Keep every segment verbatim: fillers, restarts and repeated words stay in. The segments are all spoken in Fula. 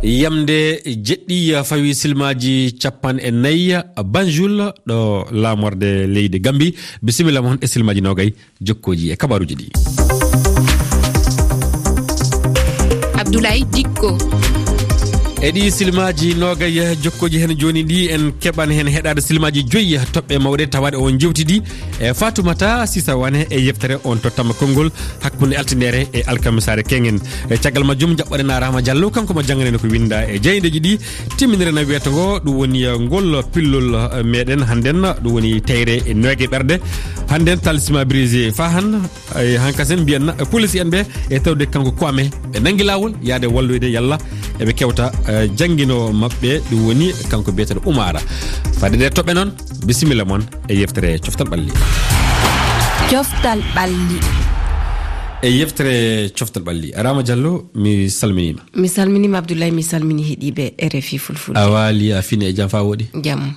Yamde jeɗɗi fawi silmaaji capanɗe nayi, Banjul, ɗo laamorde leydi Gambi. Bisimilla mon e silmaaji noogay, jokkooji e kabaaruuji ɗi. Abdoulaye Dikko. E ɗi silmaaji noogay jokkooji heen jooni ɗi, en keɓan heen heɗaade silmaaji joyi toɓɓe mawɗe tawaade on jewtidi e Fatoumata Sisa Wane e yeftere on tottama konngol hakkunde altindere e alkamisaare keŋŋen. E caggal majjum, jaɓɓoɗen Arama Diallo, kanko mo jannganee ko winnda e jaayndeeji ɗi. Timminere na wiyata ngo, ɗum woni, eh, ngol pillol, eh, meɗen hannden, ɗum woni teyre e nooge ɓerɗe. Hannden, talisma brisé fahan, eh, hankasen mbiyan na, eh, police en ɓe, e tawde kanko Kwame, ɓe nangi laawol yaade walloyde yalla eɓe kewta, eh, jannginoowo maɓɓe, ɗum woni kanko biyeteeɗo Umara. Fadde ɗe toɓɓe noon, bisimilla mon e yeftere Coftal Ɓalli. Coftal Ɓalli. E yeftere Coftal Ɓalli. Arama Diallo, mi salminiima. Mi salminiima, Abdoulaye, mi salmini heɗiiɓe R F I Fulfulde. A waali, a fini e jam faa wooɗi? Jam.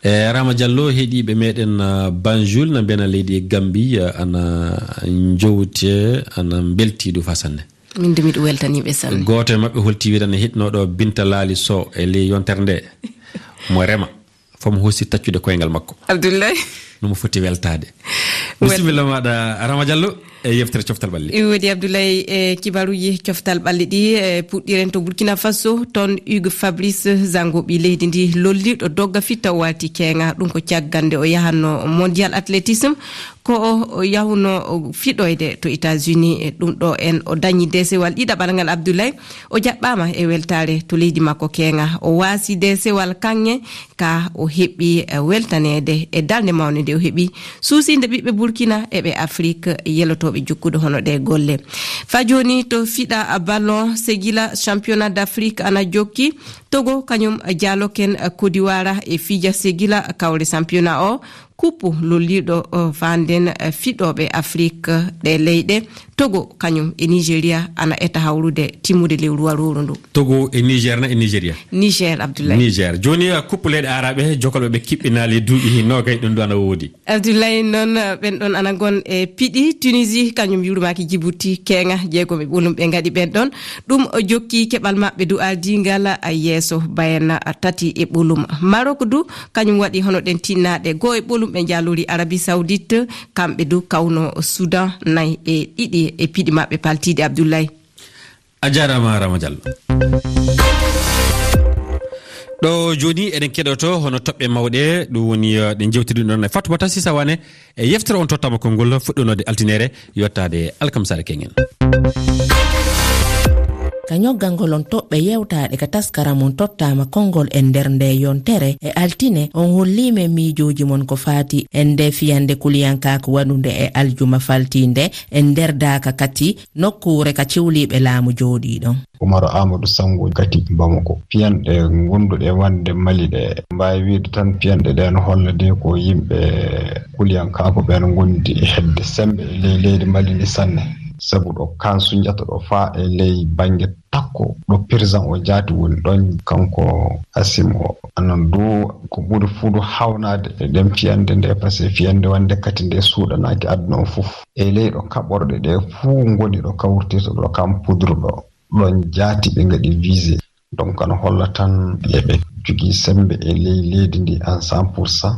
E, Arama Diallo, heɗiiɓe meɗen, ah, Banjul, na mbena leydi e Gambi, ah, ana njowte, ana mbelti du faa sanne. Min du miɗo weltaniiɓe sanne. Gooto e maɓɓe holti wiɗan e heɗinooɗo Binta Laali Sow e ley yontere nde. Mo rema. Fom hoosi taccude koyngal makko. Abdoulaye. No mo foti weltaade. Wel- Bisimilla maaɗa, Arama Diallo, e yeftere Coftal Ɓalli. Iwodi Abdoulaye, e kibaruuji Coftal Ɓalli ɗi, e puɗɗiren to Burkina Faso, toon Hugues Fabrice Zango, ɓii leydi ndi, lolliiɗo dogga fitta o waalti keeŋa. Ɗum ko caggal nde o yahanno Mondial Athlétisme, ko o, o yahuno fiɗoyde to États-Unis. E ɗum ɗo en o dañi deesewal ɗiɗaɓal ngal, Abdoulaye. O jaɓɓaama e weltaare to leydi makko keeŋa. O waasi deesewal kaŋŋe ka o heɓi, eh, weltaneede e darnde mawnde nde o heɓi suusiinde ɓiɓɓe Burkina e ɓe Afrik yelotooɓe jokkude hono ɗe golle. Faa jooni to fiɗa ballon, Segila championnat d'Afrique ana jokki. Togo kañum jaaloken, eh, Côte d'Ivoire e fija Segila kawre championnat o. Kuppu lolliiɗo, eh, fanden, eh, fiɗooɓe Afrik, eh, ɗe leyɗe. Togo kañum e Nigeria ana eta hawrude timmude lewru warooru ndu. Togo e Niger na e Nigeria? Niger, Abdoulaye. Niger. Jooni, eh, kuppu leyɗe Aaraɓe, jokalɓe ɓe kiɓɓinaali duuɓi noogay ɗum ɗo ana woodi. Abdoulaye, noon, eh, ɓen ɗon ana ngon e piɗi. Tunisie kañum yurmaaki Djibouti, keeŋa jeegom e ɓolum ɓe ngaɗi ɓen ɗon. Ɗum o jokki keɓal maɓɓe du ardiingal, eh, yeeso Bayern, eh, tati e ɓolum. Maroc du kañum waɗi hono ɗen tinnaaɗe goo e ɓolum ɓe njaalori Arabie Saoudite, kamɓe du kawno Soudan nay e ɗiɗi e piɗi maɓɓe paltiiɗi, Abdoulaye. A jaaraama, Rama Diallo. Ɗo jooni eɗen keɗoto hono toɓɓe mawɗe, ɗum woni, eh, ɗe njewtiri ɗum ɗon e Fatoumata Sisa Wane e yeftere on tottama konngol fuɗɗunode altinere yottaade alkamsare kengen. Ka ñoggangol on toɓɓe yewtaaɗe ka taskaram on tottama konngol e nder nde yontere e altine, on holliima e miijooji mon ko faati e nde fiyande kuliyankaaku waɗunde e aljuma faltiinde e nder daaka kati nokkuure ka cewliiɓe laamu jooɗii ɗon. Umaru Aamadu Sango Gati Bamako. Piyanɗe ngonduɗe wonde Mali ɗe, mbaawi wiide tan piyanɗe ɗe no holla de ko yimɓe kuliyankaaku ɓen ngondi e heɓde semmbe e ley leydi Mali ndi sanne. Sabu ɗo Kan Sunjata ɗo faa e ley bannge takko ɗo président o jaati woni ɗon, kanko Asim o. Anan du ko ɓuri fuu du hawnaade e ɗen fiyande nde, parce que fiyande wonde kati nde suuɗanaaki aduna o fof. E ley ɗo kaɓorɗe ɗe fuu ngoni ɗo kawrtirta ɗo Kan Poudre ɗo, ɗon jaati ɓe ngaɗi visé. Donc, ano holla tan eɓe jogii semmbe e ley leydi ndi en cent pour cent.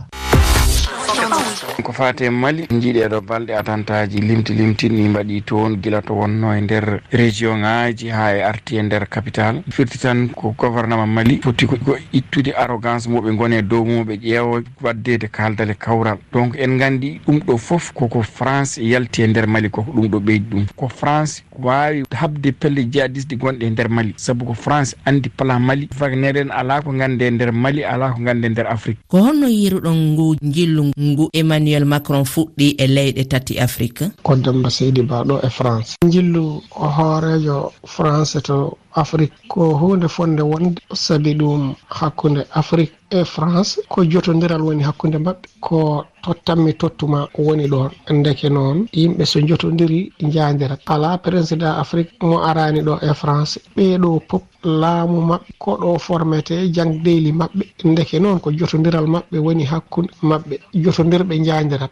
Ko faati e Mali, njiiɗee ɗo balɗe atantaaji limti limti ni mbaɗi toon, gila to wonno e nder région ŋaaji haa e arti e nder capital. Firti tan ko gouvernement Mali foti ko, ko ittude arrogance mo ɓe ngoni e dow mum, ɓe ƴeewa waɗdeede kaaldale kawral. Donc, en nganndi ɗum ɗo fof koko France yalti e nder Mali, koko ɗum ɗo ɓeydi ɗum. Ko France waawi haɓde pelle jihadiste gonɗe e nder Mali, sabu ko France anndi plan Mali. Wagner en alaa ko nganndi e nder Mali, alaa ko nganndi e nder Afrique. Ko honno yiiruɗon ngu njillu ngu Emmanuel Macron fuɗɗi e leyɗe tati Afrique? Ko Demba Seydi Ba ɗo e France. Njillu hooreejo France to Afrique ko huunde fotnde wonde, sabi ɗum hakkunde Afrique e France ko jotondiral woni hakkunde maɓɓe. Ko tottammi tottuma woni ɗoon. Ndeke noon, yimɓe so njotondiri, njaandirat. Alaa président Afrique mo araani ɗo e France. Ɓee ɗoo pop laamu maɓɓe ko ɗo formete jangdeyli maɓɓe. Ndeke noon, ko jotondiral maɓɓe woni hakkunde maɓɓe. Jotondirɓe njaandirat.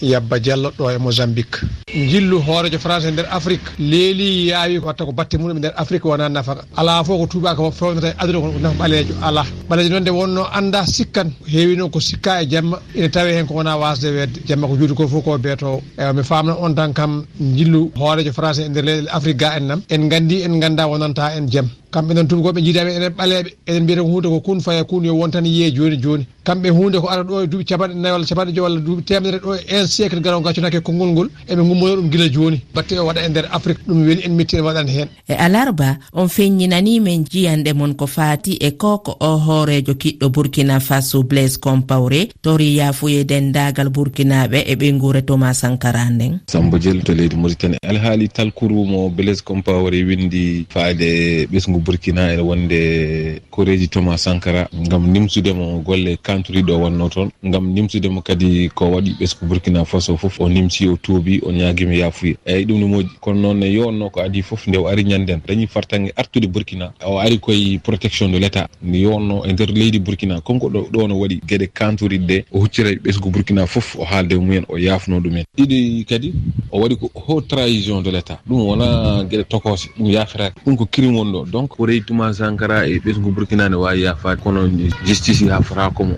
Yabba Jallo ɗo e Mozambique. Njillu hooreejo France e nder Afrique leeli, yaawi, watta ko batte muɗum e nder Afrique wona nafaka. Alaa fof ko tuubaaka fof fewnata e aduna ko nafa ɓaleejo. Alaa. Ɓaleejo noon nde wonno annda sikkan, heewi noon ko sikka e jamma, ina tawe heen ko wona wasde weedde. Jamma ko juuti ko fof ko beetoowo. Eywa, mi faamna on tan kam njillu hooreejo France e nder leyɗe Afrique ga en nam. En nganndi, en ngannda wonanta en jam. Kamɓe noon tuubakooɓe njiida men enen ɓaleeɓe, enen mbiyata ko huunde ko kun faya kun, yo won tan yiye jooni jooni. Kamɓe huunde ko ara ɗo e duuɓi capanɗe nayi walla capanɗe joy walla duuɓi teemedere ɗo e un siècle garowo gaccunaaki e konngol ngol, eɓe ngummono ɗum gila jooni. Batte o waɗa e nder Afrique, ɗum weli en metti en waɗan heen. E alarba, on feññinanii men jiyanɗe mon ko faati e ko ko o hooreejo kiɗɗo Burkina Faso Blaise Compaoré tori yaafuye denndaagal Burkinaaɓe e ɓeynguure Thomas Sankara nden. Sambo Jel to leydi Mauritanie. Alhaali talkuru mo Blaise Compaoré windi faade ɓesngu Burkina ene wonde koreeji Thomas Sankara ngam nimsude mo golle kanturiɗo o wonno toon, ngam nimsude mo kadi ko waɗi ɓesngu Burkina Faso fof, o nimsi, o tuubi, o ñaagima yaafuye. Eyyi, ɗum ne moƴƴi. Kono noon ne yowonno ko adii fof, nde o ari ñannden, dañi fartaŋŋe artude Burkina, o ari koye protection de l'État. Nde yowonno e nder leydi Burkina, comme ko ɗo, ɗo no waɗi geɗe kanturiɗe ɗe, o huccira e ɓesngu Burkina fof, o haalda e mumen, o yaafno ɗumen. Ɗiɗi kadi, o waɗi ko haute trahison de l'État. Ɗum wona geɗe tokoose, ɗum yaafetaake. Ɗum ko crime woni ɗo. Donc, ko reyi Thomas Sankara e ɓesngu Burkina ne waawi yaafaade, kono justice yaafataako mo.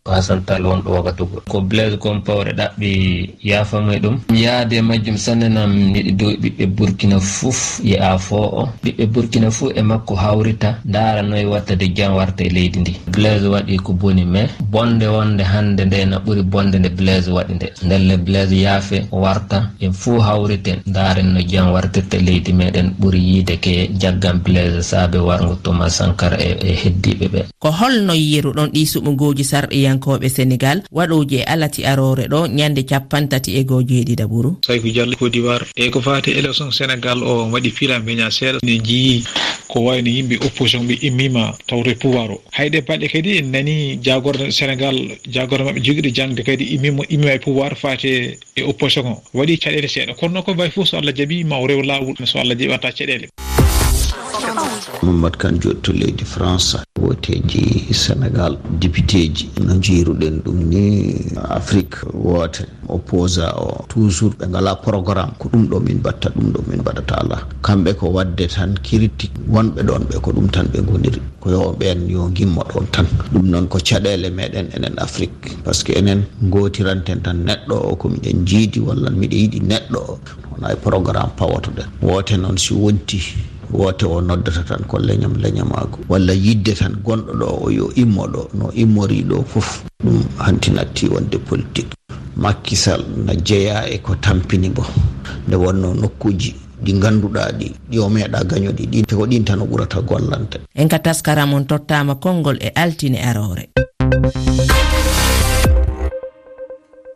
Ko Hassan Tall wonɗo Ouagadougou. Ko Blaise Compaoré ɗaɓɓi yaafa mo e ɗum. Mi yaade e majjum sanne nam miɗo dow ɓiɓɓe Burkina fof e afo o. Ɓiɓɓe Burkina fof e makko hawrita, ndaara noy watta de jam warta e leydi ndi. Blaise waɗi ko boni, mais bonde wonde hannde nde na ɓuri bonde nde Blaise waɗi nde. Ndelle Blaise yaafe, o warta, en fof hawriten, ndaaren no jam wartirta leydi meɗen, ɓuri yiide ke jaggan Blaise saabe warngo Thomas Sankara e, e heddiiɓe ɓe. Ko holno yiiruɗon ɗii suɓngooji sarɗiyankooɓe Senegaal, waɗooji e alati aroore ɗo ñande cappanɗe tati e goo jeeɗiɗaɓuru? Sayku Jallo, Côte d'Ivoire. E ko faati élection Senegaal o, waɗi fiila mbeña seeɗa, ne njiyii ko wayno yimɓe opposition ɓe immiima tawto e pouvoir o. Hay ɗe balɗe kadi en nanii jaagorɗe Senegaal, jaagorɗe maɓɓe jogiiɗo jaŋde kadi immiima, immiima e pouvoir faati e opposition o. Waɗi caɗeele seeɗa. Kono noon ko mbayi fof so Allah jaɓii ma o rew laawol, so Allah jaɓii watta caɗeele. Mamadou Kane Diop to leydi France. Wooteeji Senegaal, depiteeji, no njiiruɗen ɗum ni, Afrique woote, opposant o, toujours ɓe ngalaa programme, ko ɗum ɗo min mbaɗta, ɗum ɗo min mbaɗata alaa. Kamɓe ko waɗde tan critique, wonɓe ɗoon ɓe ko ɗum tan ɓe ngoniri. Ko yo ɓeen yo ngimmo ɗoon tan. Ɗum noon ko caɗeele meɗen enen Afrique. Parce que enen ngootiranten tan neɗɗo o ko miɗen njiidi walla miɗo yiɗi neɗɗo o. Wona e programme pawotoɗen. Woote noon si wonti, woote o noddata tan ko leñam leñamaagu. Walla yidde tan gonɗo ɗo o yo immo ɗo, no immori ɗo fof. Ɗum hanti natti wonde politique. Macky Sall na jeyaa e ko tampini mbo. Nde wonno nokkuuji ɗi ngannduɗaa ɗi, ɗi o meeɗa gañude, ɗi ko ɗin tan o ɓurata gollande. En ka taskaram on tottaama konngol e altine aroore.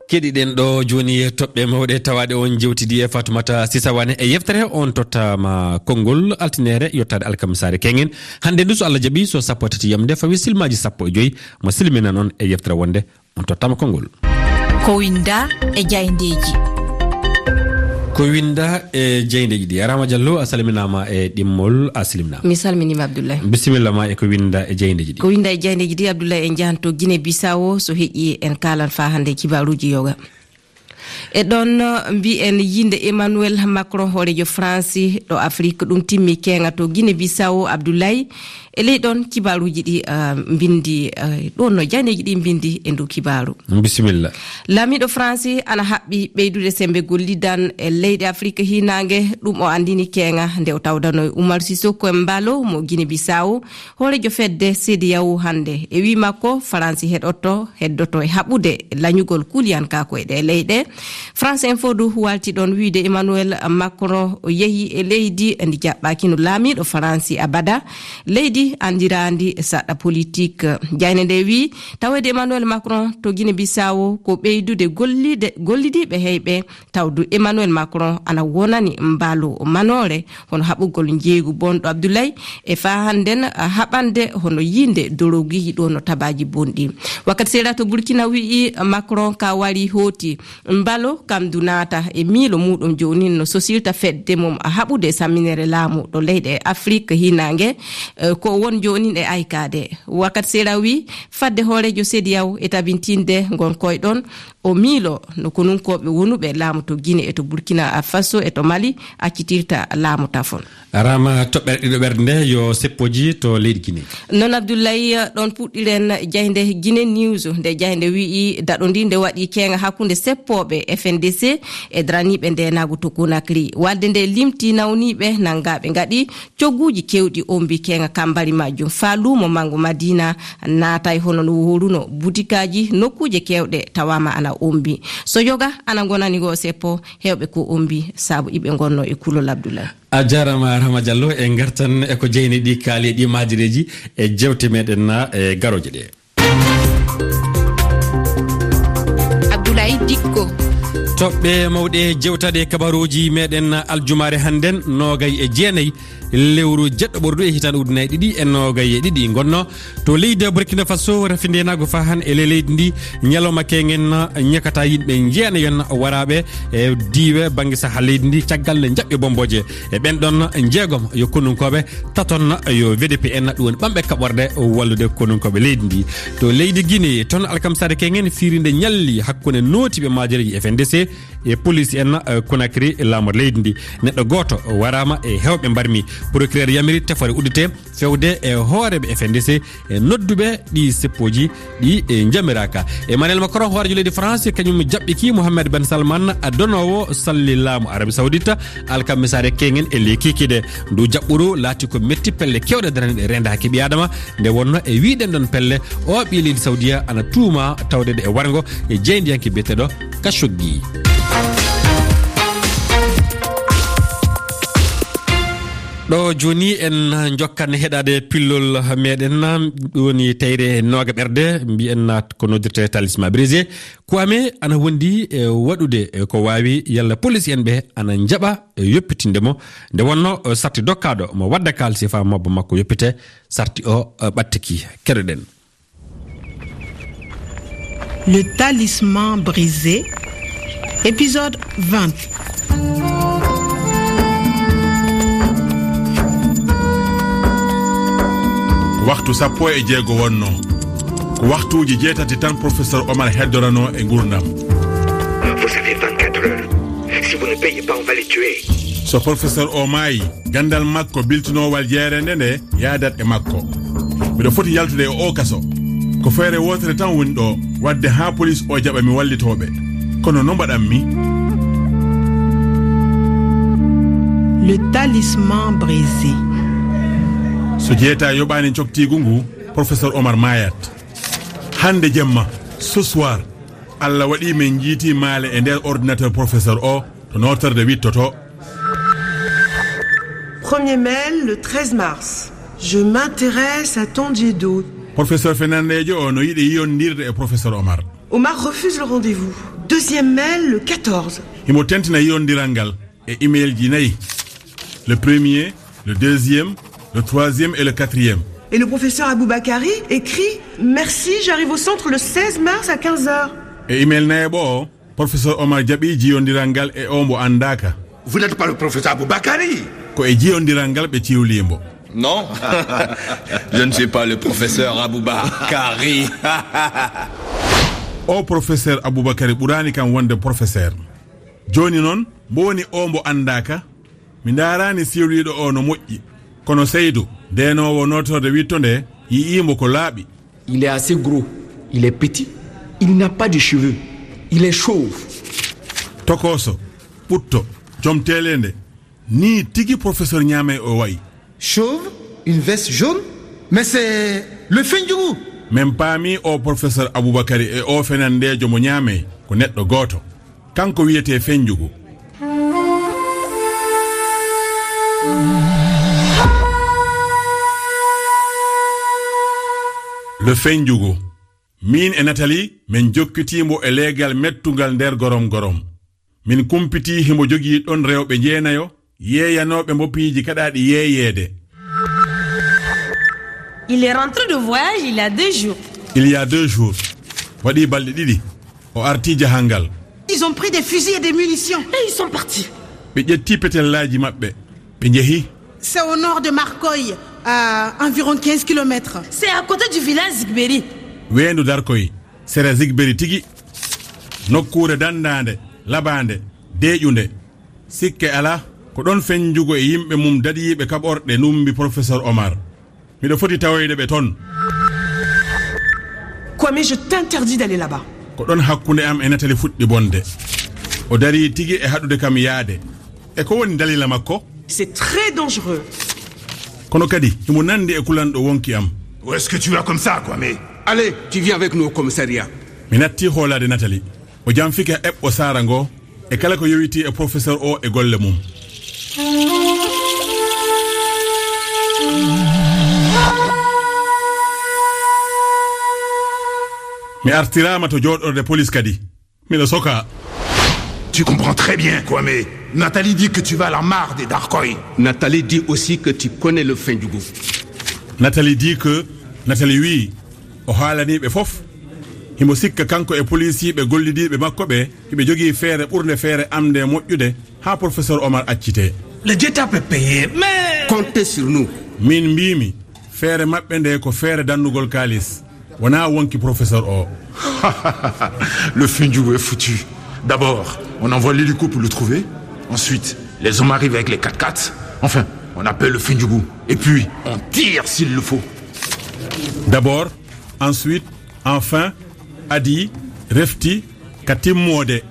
Keɗiɗen ɗo jooni toɓɓe mawɗe tawaaɗe on jewtidi e Fatoumata Sisa Wane e yeftere on tottaama konngol altineere yottaade alkamisaare keŋŋen. Hannde ndu so Allah jaɓi so sappo e tati yamde fawi silmaaji sappo e joy mo silminan on e yeftere wonde on tottama konngol. Ko winda e jayndeeji. Ko winda e jayndeeji ɗi. Arama Diallo, a salminaama e ɗimmol, a salminaama. Mi salminiima, Abdoulaye. Bisimilla ma e ko winda e jayndeeji ɗi. Ko winda e jayndeeji ɗi, Abdoulaye, en njahan to Guinée Bissau, so heƴi en kaalan faa hannde kibaaruuji yoga. E ɗon, mbiyen yinde Emmanuel Macron, hooreejo France ɗo Afrique, ɗum timmi keeŋa to Guinée Bissau, Abdoulaye. E ley ɗon kibaaruuji ɗi, ah, mbindi, ah, ɗon no janeeji ɗi mbindi e ndu kibaaru. Bisimilla. Laamiiɗo France ana haɓɓi ɓeydude sembe gollidan e leyɗe Afrique hiinaange, ɗum o anndini keeŋa nde o tawdano e Umar Sissoco Embaló mo Guinée Bissau, hooreejo fedde CEDEAO hannde. E wii makko, France heɗoto, heddoto e haɓude lañugol kuliyankaaku e ɗee leyɗe. France Info du waalti ɗon wiide Emmanuel Macron o yehi e leydi ndi jaɓɓaakino laamiiɗo France abada, leydi anndiraandi saɗɗa politik. Jayne nde wii, taweede Emmanuel Macron to Guinée Bissau ko ɓeydude gollide-, gollidiiɓe heyɓe, tawdu Emmanuel Macron ana wonani mbaalu manoore, hono haɓugol njeeygu bonɗo Abdoulaye, e faa hannden haɓande hono yinde dorogiiji ɗo no tabaaji bonɗi. Wakkati seeɗa to Burkina wi'i Macron ka wari hooti mbal Ɗo kam du naata e miilo muuɗum jooni no sosirta fedde mum haɓude samminere laamu ɗo leyɗe Afrik hiinaange, eh, ko won jooni e aykaade. Wakat Sera wi fadde hooreejo sediyaw e tabintinde ngon koyɗon o miilo no konunkooɓe wonuɓe laamu to Gine e to Burkina Faso e to Mali accitirta laamu tafon. Arama toɓɓere ɗiɗo ɓerde nde yo seppoji to leydi Gine. Noon Abdoulaye, ɗoon puɗɗiren jaynde Gine News. Nde jaynde wi'i daɗo ndi nde waɗi keenga hakkunde seppooɓe F N D C e daraniiɓe ndeenaagu to Conakry. Waɗde nde limti nawniiɓe nanngaaɓe ngaɗi cogguuji keewɗi ombi keenga kambari majjum. Faa luumo manngo Madina naatay hono no wooruno. Butikaaji nokkuuje keewɗe tawaama ana ombi. So yoga ana ngonani ngo seppo heewɓe ko ombi sabu iɓe ngonno e kulol Abdoulaye. A jaaraama, Rahma Diallo. E ngartan e ko jeyni ɗi kaali e ɗi maajireeji e jeewte meɗen na e garooje ɗe. Abdoulaye Dikko. Toɓɓe mawɗe jewtaɗe kabaruuji meɗen aljumaare hannden, noogay e jeenay lewru jeɗɗo ɓordu e hitaan ujunaaji ɗiɗi e noogay e ɗiɗi ngonno to leydi Burkina Faso, rafi ndeenaagu fahan e ley leydi ndi. Ñalawma keengen ñakata yimɓe jeenayon waraaɓe e diiwe bannge saha leydi ndi caggal nde jaɓɓi bombooje. E ɓen ɗon jeegom yo konunkooɓe, taton yo V D P en, ɗum woni ɓamɓe kaɓorɗe wallude konunkooɓe leydi ndi. To leydi Guinée, toon alkamsaare keengen fiirinde ñalli hakkunde nootiiɓe maajereeji F N D C e police en, eh, Conakry, laamor leydi ndi. Neɗɗo gooto waraama e heewɓe mbarmi. Procureur yamiri tefoore uddite fewde e hooreeɓe F N D C e nodduɓe ɗi seppooji ɗi, eh, njamiraaka. Emmanuel Macron, hooreejo leydi France, kañum jaɓɓiki Mohammed Ben Salman, a donoowo salli laamu Arabie Saoudite, alkamisaare keengen e ley kikiiɗe. Ndu jaɓɓuru laati ko metti, pelle keewɗe daraniiɗe reendaaki ɓii Aadama, nde wonno e wiyɗen ɗon pelle, o ɓii leydi Saoudia ana tuuma tawde ɗe e warngo e jeyndiyanke biyeteeɗo Khashoggi. Ɗo jooni en njokkan heɗaade pillol meɗen, ɗum woni tayre nooga ɓerde, mbiyen ko noddirte talisman brisé. Kwame ana wondi e waɗude ko waawi, yalla police en ɓe ana njaɓa yoppitinde mo. Nde wonno sarti dokkaaɗo mo wadda kaalisi faa mabba makko yoppite, sarti o ɓattiki. Keɗoɗen. Le talisman brisé, épisode vingt. Waxtu sappo e jeego wonno. Ko waxtuuji jeetati tan professeur Omar heddoranoo e nguurndam. Vous avez vingt-quatre heures. Si vous ne payez pas, on va les tuer. So professeur o maayi, ganndal makko biltinoowal jeereende nde yaadat e makko. Miɗo foti yaltude e oo kaso. Ko feere wootere tan woni ɗo, waɗde haa police o jaɓa mi wallitooɓe. Kono no mbaɗan mi? Le talisman brisé. So jeeta yoɓaani coktiigu ngu, professeur Omar maayat. Hannde jemma, ce soir, Allah waɗi min njiiti maale e nder ordinateur professeur o to nootorde wittoto. Premier mail, le treize mars. Je m'intéresse à Tondiedo. Professeur Fernandejo o no yiɗi yiyondirde e professeur Omar. Omar refuse le rendez-vous. Deuxième mail, le quatorze. Himo tentina yiyondiral ngal e email ji nayi. Le premier, le deuxième, le troisième et le quatrième. Et le professeur Aboubakari écrit : « Merci, j'arrive au centre le seize mars à quinze heures. » E email nayaɓo o, professeur Omar jaɓi jiyondiral ngal e o mbo anndaaka. Vous n'êtes pas le professeur Aboubakari. Ko e jiyondiral ngal ɓe ciwlii mbo. Non, je ne suis pas le professeur Aboubakari. O professeur Aboubakari ɓuraani kam wonde professeur. Jooni noon, mbo woni o mbo anndaaka? Mi ndaaraani siwliiɗo o no moƴƴi. Kono Seydou, ndeenoowo nootorde witto nde, yi'ii mbo ko laaɓi. Il est assez gros, il est petit, il n'a pas de cheveux, il est chauve. Tokooso, ɓutto, jom teeleende, nii tigi professeur Ñaamey o wayi. Chauve, une veste jaune, mais c'est le Fendjougou. Min paami o professeur Aboubakari e o fenandeejo mo Ñaamey ko neɗɗo gooto. Kanko wiyetee Fenjugu. Le Fenjugu. Miin e Nathalie, min jokkitii mbo e leegal mettungal nder gorom gorom. Min kumpitii himo jogii ɗon rewɓe jeenayo, yeeyanooɓe mbo piiji kaɗaaɗi yeeyeede. Il est rentré de voyage il y a deux jours. Il y a deux jours. Waɗii balɗe ɗiɗi. O artii jahangal. Ils ont pris des fusils et des munitions. Et ils sont partis. Ɓe ƴetti petellaaji maɓɓe, ɓe njehi. C'est au nord de Marcoy, à environ quinze kilomètres. C'est à côté du village Zigberi. Weendu Darkoy, sera Zigberi tigi. Nokkuure danndaande, labaande, deeƴunde. Sikke alaa, ko ɗon Fenjugo e yimɓe mum daɗiiɓe kaɓorɗe numbi Professeur Omar. Miɗo foti tawoyde ɓe ton. Kwame, je t'interdis d'aller là-bas. Ko ɗon hakkunde am e Nathalie fuɗɗi bonde. O darii tigi e haɗude kam yaade. E ko woni dalila makko? C'est très dangereux. Kono kadi, himo nandi e kulanɗo wonki am. Où est-ce que tu vas comme ça, Kwame? Allez, tu viens avec nous au commissariat. Mi natti hoolaade Nathalie. O janfike eɓɓo saara ngo e kala ko yowitii e professeur o e golle mum. Mi artiraama to jooɗorde police kadi. Miɗo sokaa. Tu comprends très bien, Kwame. Nathalie dit que tu vas à la mare de Darkoy. Nathalie dit aussi que tu connais le Fendjougou. Nathalie dit que, Nathalie wii, o haalanii ɓe fof. Himo sikka kanko e polisiiɓe gollidiiɓe makko ɓe, hiɓe jogii feere ɓurnde feere am nde moƴƴude, haa Professeur Omar accitee. Le Dieu t'a payé, mais comptez sur nous. Min mbiimi, feere maɓɓe nde ko feere dannugol kaalis, wonaa wonki Professeur o. Le Fendjougou est foutu. D'abord, on envoie l'hélico pour le trouver. Ensuite, les hommes arrivent avec les quatre-quatre. Enfin, on appelle le Fendjougou. Et puis, on tire s'il le faut. D'abord, ensuite, enfin, adii, refti, ka timmoode,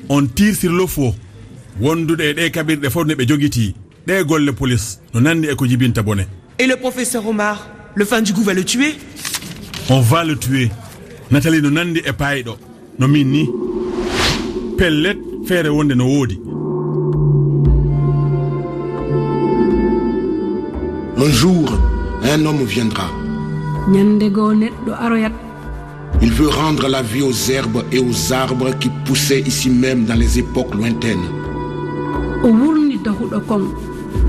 on tire s'il le faut. Wondude e ɗee kaɓirɗe fof ne ɓe jogitii, ɗee golle police no nandi e ko jibinta bone. Et le professeur Omar, le Fendjougou va le tuer? On va le tuer. Nathalie no nandi e paayɗo. No min ni. Pellet, feere wonde no woodi. Un jour, un homme viendra. Ñande goo neɗɗo aroyat. Il veut rendre la vie aux herbes et aux arbres qui poussaient ici même dans les époques lointaines. O wurni dahuɗo kon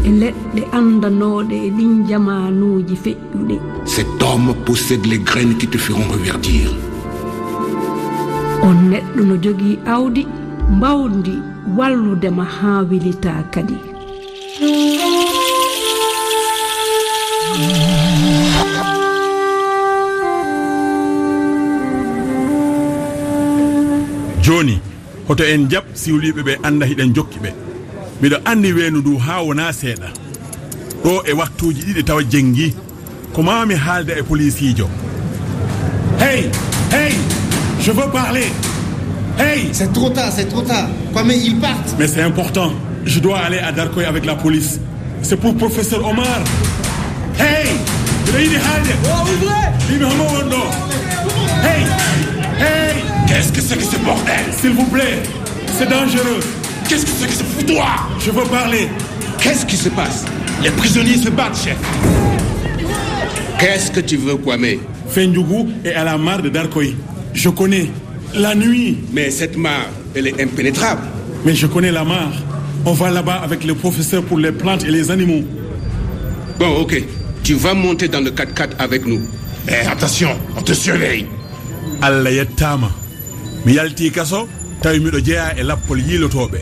e leɗɗe anndanooɗe e ɗin jamaanuuji feƴƴuɗi. Cet homme possède les graines qui te feront reverdir. On neɗɗo no jogii awdi mbawndi wallude ma haa welitaa kadi. Jooni, hoto en jaɓ siwliiɓe ɓe annda hiɗen jokki ɓe. Miɗo anndi weendu ndu haa wonaa seeɗa. Ɗo e waktuuji ɗiɗi tawa jenngi. Ko maa mi haalda e poliisiijo. Hey, hey, je veux parler. Hey. C'est trop tard, c'est trop tard. Kwame, ils partent. Mais c'est important. Je dois aller à Darkoy avec la police. C'est pour professeur Omar. Hey, miɗo yiɗi haalde. Oh, ouvrez. Mbiimi homo won ɗo. Hey, hey. Qu'est-ce que c'est que ce bordel? S'il vous plaît, c'est dangereux. Qu'est-ce que c'est que ce foutoir? Je veux parler. Qu'est-ce qui se passe? Les prisonniers se battent, chef. Qu'est-ce que tu veux, Kwame? Fendjougou est à la mare de Darkoy. Je connais. La nuit. Mais cette mare, elle est impénétrable. Mais je connais la mare. On va là-bas avec le professeur pour les plantes et les animaux. Bon, ok. Tu vas monter dans le quatre-quatre avec nous. Eh, attention, on te surveille. Allah yettaama. Mi yaltii kaso, tawi miɗo jeyaa e lappol yiilotooɓe.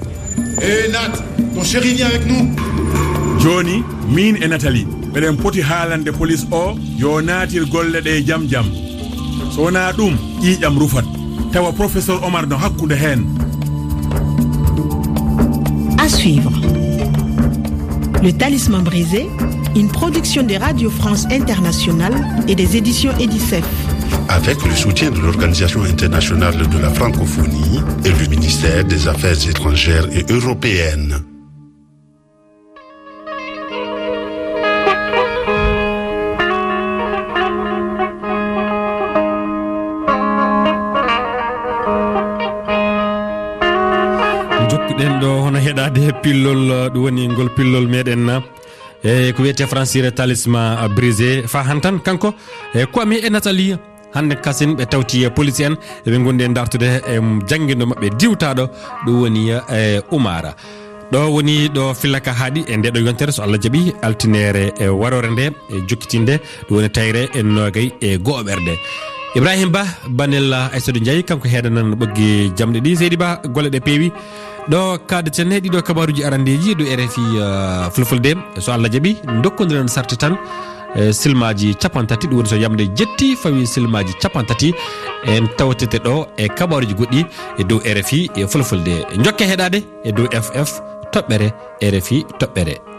Eh, Nat, ton chéri vient avec nous. Jooni, miin e Nathalie, meɗen poti haalande police o yo naatir golle ɗe jam jam. So wonaa ɗum, ƴiiƴam rufat. Tawa professeur Omar no hakkunde heen. À suivre. Le Talisman brisé, une production de Radio France Internationale et des éditions Edicef. Avec le soutien de l'Organisation internationale de la francophonie et le ministère des Affaires étrangères et européennes. Jokkuɗen ɗo hono heɗaade pillol, ɗum woni ngol pillol meɗen, e ko wiyetee françire Talisman brisé. Fa hantan kanko, e Kwame e Nathalie, hannde kasen ɓe tawti e police en, eɓe ngondi e dartude e janngindo maɓɓe diwtaɗo, ɗum woni, e, Umara. Ɗo woni ɗo fillaka haaɗi e nde ɗo yontere, so Allah jaɓi, altinere e warore nde, e jokkitinde, ɗum woni tayre e nogay e go'oɓerde. Ibrahim Ba, Banel, Aissata Ndiaye, kanko heedanan ɓoggi jamɗe ɗi. Seydi Ba, golle ɗe peewi. Ɗo kaadaten he ɗiɗo kabaruuji arandeeji ɗo R F I, eh, Fulfulde. So Allah jaɓi, ndokkondiren sarte tan, eh, silmaaji capantati, ɗum woni so yamde jetti fawi silmaaji capantati, en tawtete ɗo e kabaruuji goɗɗi e dow R F I e Fulfulde. Njokke heɗaade e dow F F toɓɓere R F I toɓɓere.